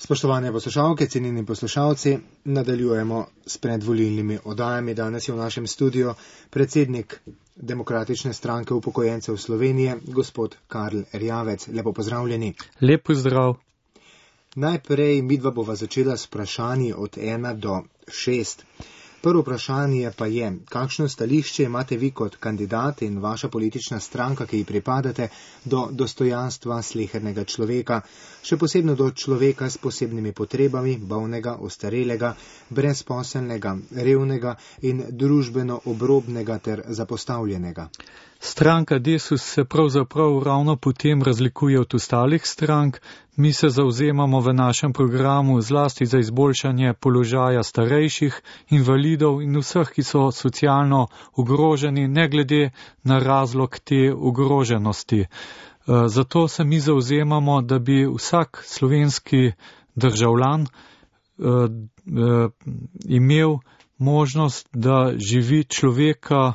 Spoštovane poslušalke, cenjeni poslušalci, nadaljujemo s predvolilnimi oddajami. Danes je v našem studiu predsednik Demokratične stranke upokojencev Slovenije, gospod Karl Erjavec. Lepo pozdravljeni. Lep pozdrav. Najprej midva bova začela s vprašanji od 1 do 6. Prvo vprašanje pa je, kakšno stališče imate vi kot kandidat in vaša politična stranka, ki ji pripadate, do dostojanstva slehernega človeka, še posebno do človeka s posebnimi potrebami, bolnega, ostarelega, brezposelnega, revnega in družbeno obrobnega ter zapostavljenega. Stranka Desus se pravzaprav ravno potem razlikuje od ostalih strank. Mi se zavzemamo v našem programu zlasti za izboljšanje položaja starejših, invalidov in vseh, ki so socialno ogroženi, ne glede na razlog te ogroženosti. Zato se mi zavzemamo, da bi vsak slovenski državljan imel možnost, da živi človeka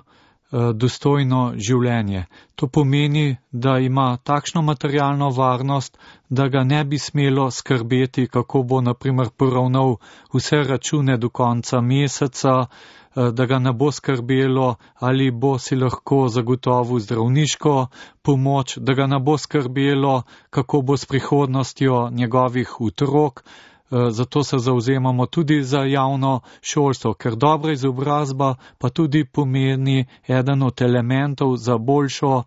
dostojno življenje. To pomeni, da ima takšno materialno varnost, da ga ne bi smelo skrbeti, kako bo na primer poravnal vse račune do konca meseca, da ga ne bo skrbelo, ali bo si lahko zagotovil zdravniško pomoč, da ga ne bo skrbelo, kako bo s prihodnostjo njegovih otrok. Zato se zavzemamo tudi za javno šolstvo, ker dobra izobrazba pa tudi pomeni eden od elementov za boljšo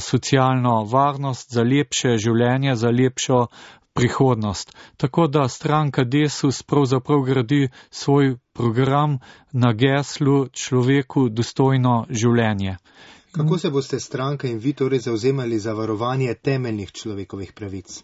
socialno varnost, za lepše življenje, za lepšo prihodnost. Tako da stranka Desus pravzaprav gradi svoj program na geslu človeku dostojno življenje. Kako se boste stranka in vi torej zavzemali za varovanje temeljnih človekovih pravic?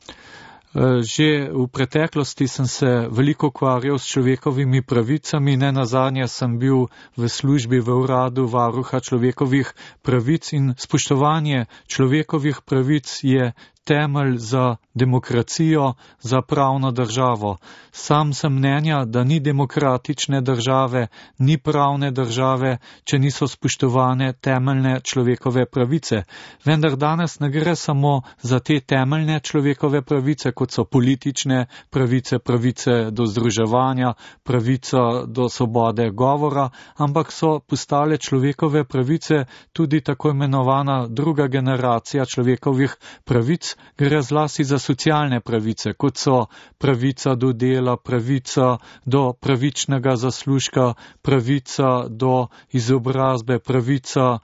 Že v preteklosti sem se veliko ukvarjal s človekovimi pravicami, nenazadnje sem bil v službi v uradu varuha človekovih pravic in spoštovanje človekovih pravic je temelj za demokracijo, za pravno državo. Sam sem mnenja, da ni demokratične države, ni pravne države, če niso spoštovane temeljne človekove pravice. Vendar danes ne gre samo za te temeljne človekove pravice, kot so politične pravice, pravice do združevanja, pravica do svobode govora, ampak so postale človekove pravice tudi tako imenovana druga generacija človekovih pravic. Gre zlasti za socialne pravice, kot so pravica do dela, pravica do pravičnega zaslužka, pravica do izobrazbe, pravica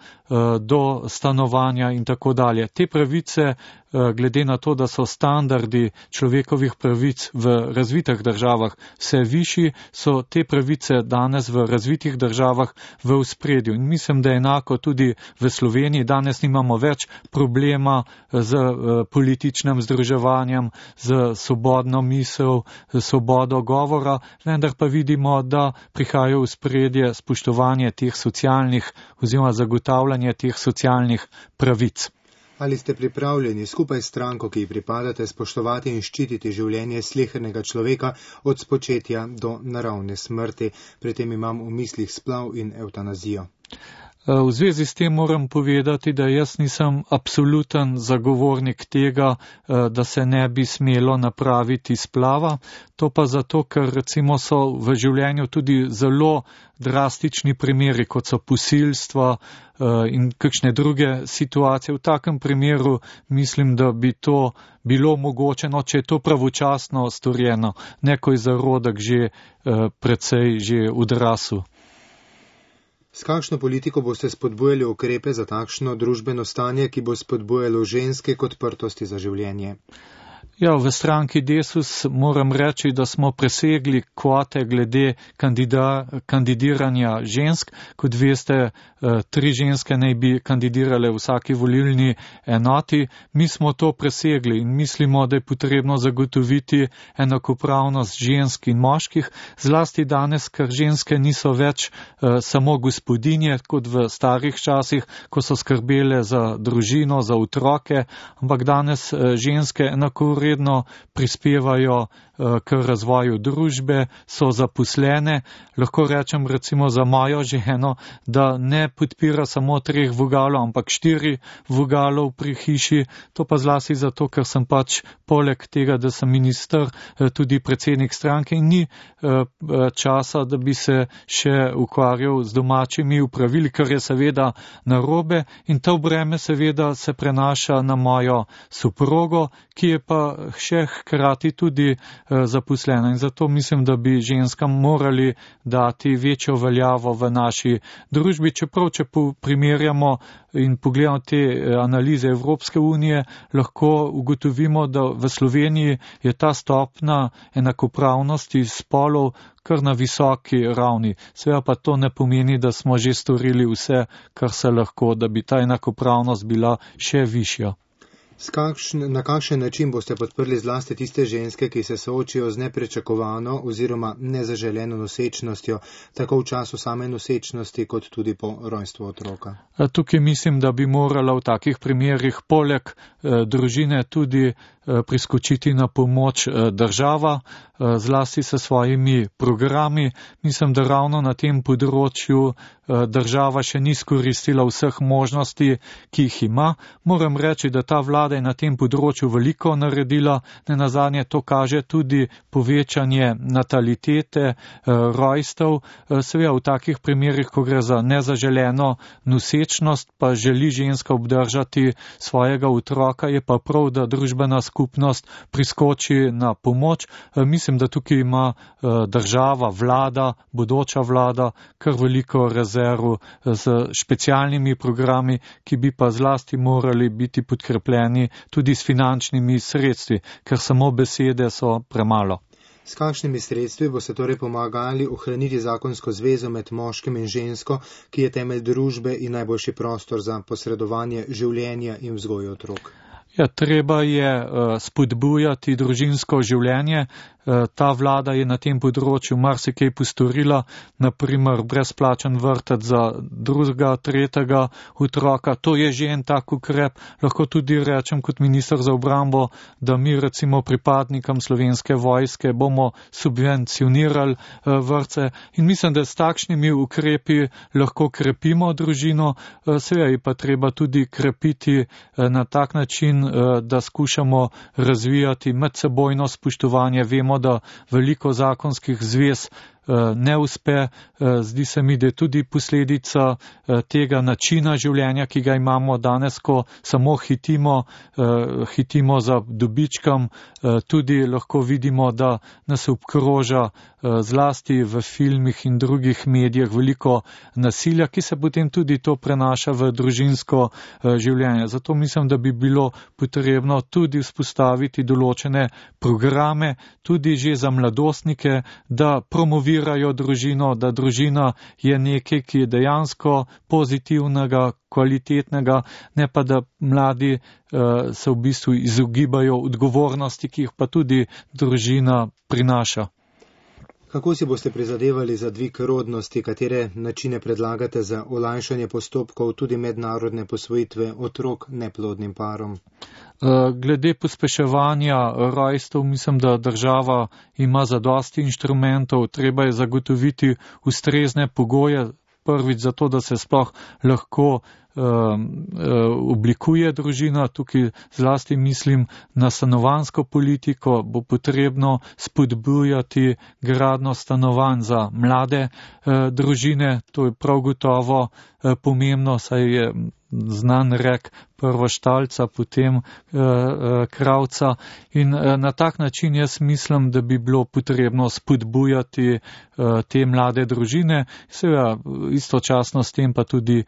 do stanovanja in tako dalje. Te pravice, glede na to, da so standardi človekovih pravic v razvitih državah vse višji, so te pravice danes v razvitih državah v ospredju. In mislim, da je enako tudi v Sloveniji. Danes nimamo več problema z političnim združevanjem, z svobodno misel, z svobodo govora, vendar pa vidimo, da prihaja v spredje spoštovanje teh socialnih oziroma zagotavljanje teh socialnih pravic. Ali ste pripravljeni skupaj s stranko, ki ji pripadate, spoštovati in ščititi življenje slehernega človeka od spočetja do naravne smrti? Pri tem imam v mislih splav in evtanazijo. V zvezi s tem moram povedati, da jaz nisem absoluten zagovornik tega, da se ne bi smelo napraviti splava. To pa zato, ker recimo so v življenju tudi zelo drastični primeri, kot so posilstva in kakšne druge situacije. V takem primeru mislim, da bi to bilo omogočeno, če je to pravočasno storjeno, ne ko je zarodek že precej že odrasel. S kakšno politiko boste spodbujali ukrepe za takšno družbeno stanje, ki bo spodbujalo ženske k odprtosti za življenje? Ja, v stranki Desus moram reči, da smo presegli kvote glede kandidiranja žensk. Kot veste, 3 ženske naj bi kandidirale v vsaki volilni enoti. Mi smo to presegli in mislimo, da je potrebno zagotoviti enakopravnost žensk in moških, zlasti danes, ker ženske niso več samo gospodinje, kot v starih časih, ko so skrbele za družino, za otroke, ampak danes ženske enakovredno usporedno prispevajo k razvoju družbe, so zaposlene. Lahko rečem recimo za mojo ženo, da ne podpira samo 3 vogalov, ampak 4 vogalov pri hiši. To pa zlasti zato, ker sem pač poleg tega, da sem minister, tudi predsednik stranke in ni časa, da bi se še ukvarjal z domačimi upravili, kar je seveda narobe, in to breme seveda se prenaša na mojo soprogo, ki je pa še hkrati tudi zaposlena. In zato mislim, da bi ženskam morali dati večjo veljavo v naši družbi, čeprav če primerjamo in pogledamo te analize Evropske unije, lahko ugotovimo, da v Sloveniji je ta stopna enakopravnosti spolov kar na visoki ravni. Seveda pa to ne pomeni, da smo že storili vse, kar se lahko, da bi ta enakopravnost bila še višja. Na kakšen način boste podprli zlasti tiste ženske, ki se soočijo z nepričakovano oziroma nezaželeno nosečnostjo, tako v času same nosečnosti, kot tudi po rojstvu otroka? Tukaj mislim, da bi morala v takih primerih poleg družine tudi priskočiti na pomoč država, zlasti s svojimi programi. Mislim, da ravno na tem področju država še ni skoristila vseh možnosti, ki jih ima. Moram reči, da ta vlada je na tem področju veliko naredila. Nenazadnje to kaže tudi povečanje natalitete, rojstev. Seveda v takih primerih, ko gre za nezaželeno nosečnost, pa želi ženska obdržati svojega otroka, je pa prav, da družbena skupnost priskoči na pomoč. Mislim, da tukaj ima država, vlada, bodoča vlada kar veliko rezerv z specialnimi programi, ki bi pa zlasti morali biti podkrepljeni tudi s finančnimi sredstvi, ker samo besede so premalo. S kakšnimi sredstvi boste torej pomagali ohraniti zakonsko zvezo med moškim in žensko, ki je temelj družbe in najboljši prostor za posredovanje življenja in vzgojo otrok? Ja, treba je spodbujati družinsko življenje. Ta vlada je na tem področju marsikaj postorila, naprimer brezplačen vrtec za 2., 3. otroka. To je že en tak ukrep. Lahko tudi rečem kot minister za obrambo, da mi recimo pripadnikom Slovenske vojske bomo subvencionirali vrtce in mislim, da s takšnimi ukrepi lahko krepimo družino. Seveda je pa treba tudi krepiti na tak način, da skušamo razvijati medsebojno spoštovanje. Vemo, da veliko zakonskih zvez ne uspe. Zdi se mi, da je tudi posledica tega načina življenja, ki ga imamo danes, ko samo hitimo za dobičkom. Tudi lahko vidimo, da nas obkroža zlasti v filmih in drugih medijih veliko nasilja, ki se potem tudi to prenaša v družinsko življenje. Zato mislim, da bi bilo potrebno tudi vzpostaviti določene programe, tudi že za mladostnike, da promovirajo družino, da družina je nekaj, ki je dejansko pozitivnega, kvalitetnega, ne pa da mladi se v bistvu izogibajo odgovornosti, ki jih pa tudi družina prinaša. Kako si boste prizadevali za dvig rodnosti, katere načine predlagate za olajšanje postopkov tudi mednarodne posvojitve otrok neplodnim parom? Glede pospeševanja rojstev, mislim, da država ima zadosti inštrumentov, treba je zagotoviti ustrezne pogoje, prvič zato, da se sploh lahko oblikuje družina. Tukaj zlasti mislim na stanovanjsko politiko, bo potrebno spodbujati gradnjo stanovanj za mlade družine. To je prav gotovo pomembno, saj je znan rek prvo štalca, potem kravca. In na tak način jaz mislim, da bi bilo potrebno spodbujati te mlade družine, seveda istočasno s tem pa tudi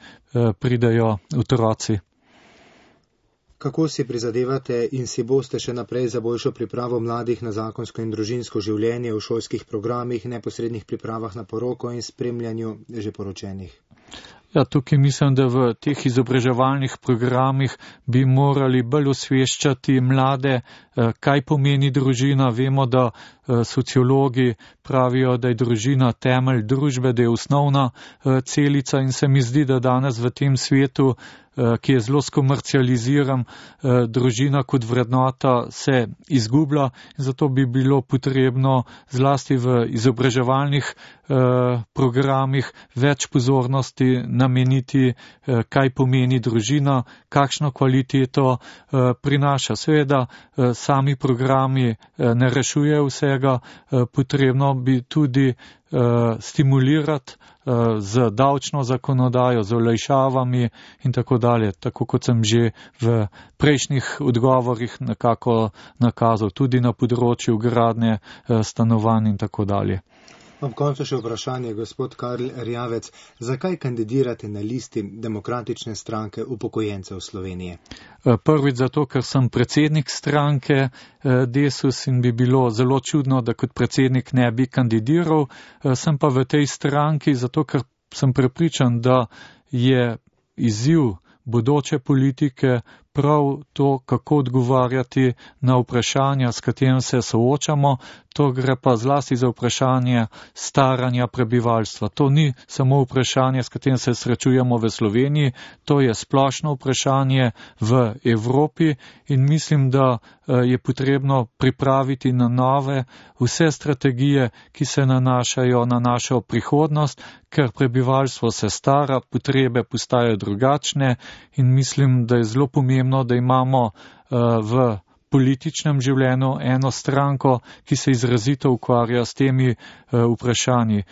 pridajo otroci. Kako si prizadevate in si boste še naprej za boljšo pripravo mladih na zakonsko in družinsko življenje v šolskih programih, neposrednih pripravah na poroko in spremljanju že poročenih? Ja, tukaj mislim, da v teh izobraževalnih programih bi morali bolj osveščati mlade kaj pomeni družina. Vemo, da sociologi pravijo, da je družina temelj družbe, da je osnovna celica in se mi zdi, da danes v tem svetu, ki je zelo skomercializiran, družina kot vrednota se izgublja in zato bi bilo potrebno zlasti v izobraževalnih programih več pozornosti nameniti, kaj pomeni družina, kakšno kvaliteto prinaša. Seveda sami programi ne rešujejo vsega, potrebno bi tudi stimulirati z davčno zakonodajo, z olajšavami in tako dalje, tako kot sem že v prejšnjih odgovorih nekako nakazal, tudi na področju gradnje stanovanj in tako dalje. Ob koncu še vprašanje, gospod Karl Erjavec, zakaj kandidirate na listi Demokratične stranke upokojencev Slovenije? Prvič zato, ker sem predsednik stranke Desus in bi bilo zelo čudno, da kot predsednik ne bi kandidiral. Sem pa v tej stranki zato, ker sem prepričan, da je izziv bodoče politike prav to, kako odgovarjati na vprašanja, s katerim se soočamo. To gre pa zlasti za vprašanje staranja prebivalstva. To ni samo vprašanje, s katerim se srečujemo v Sloveniji, to je splošno vprašanje v Evropi in mislim, da je potrebno pripraviti na nove vse strategije, ki se nanašajo na našo prihodnost, ker prebivalstvo se stara, potrebe postajajo drugačne in mislim, da je zelo pomembno, da imamo v političnem življenju eno stranko, ki se izrazito ukvarja s temi vprašanji.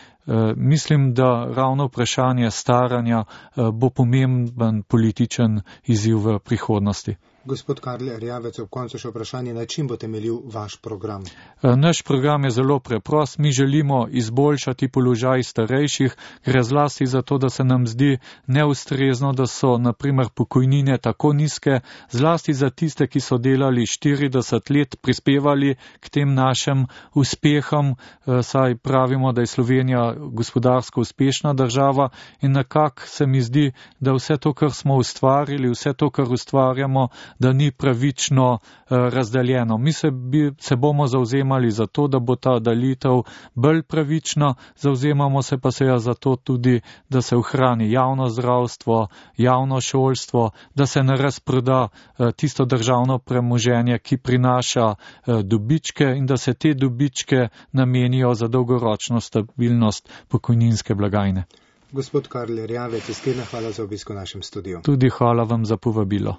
Mislim, da ravno vprašanje staranja bo pomemben političen izziv v prihodnosti. Gospod Karl Erjavec, ob koncu še vprašanje, na čim bo temeljil vaš program? Naš program je zelo preprost. Mi želimo izboljšati položaj starejših. Gre zlasti za to, da se nam zdi neustrezno, da so naprimer pokojnine tako nizke, zlasti za tiste, ki so delali 40 let, prispevali k tem našim uspehom, saj pravimo, da je Slovenija gospodarsko uspešna država in nekako se mi zdi, da vse to, kar smo ustvarili, vse to, kar ustvarjamo, da ni pravično razdeljeno. Mi se bomo zauzemali za to, da bo ta delitev bolj pravična, zauzemamo se pa seveda za to tudi, da se ohrani javno zdravstvo, javno šolstvo, da se ne razproda tisto državno premoženje, ki prinaša dobičke in da se te dobičke namenijo za dolgoročno stabilnost pokojninske blagajne. Gospod Karl Erjavec, iskrena hvala za obisk v našem studiu. Tudi hvala vam za povabilo.